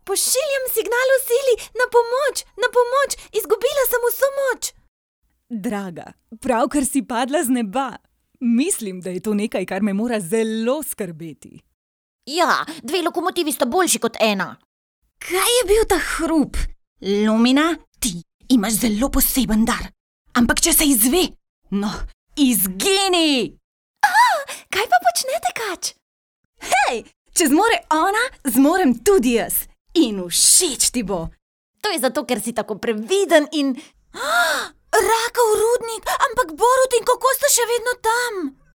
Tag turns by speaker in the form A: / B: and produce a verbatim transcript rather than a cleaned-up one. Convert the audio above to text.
A: Pošiljam signal v sili, na pomoč, na pomoč, izgubila sem vso moč.
B: Draga, pravkar si padla z neba. Mislim, da je to nekaj, kar me mora zelo skrbeti.
C: Ja, dve lokomotivi sta boljši kot ena.
A: Kaj je bil ta hrup? Lumina, ti imaš zelo poseben dar. Ampak če se izve, no, izgini! Kaj pa počne tekač? Hej, če zmore ona, zmorem tudi jaz. In všeč ti bo.
C: To je zato, ker si tako previden in...
A: Rakov rudnik, ampak Borut in Koko sta še vedno tam.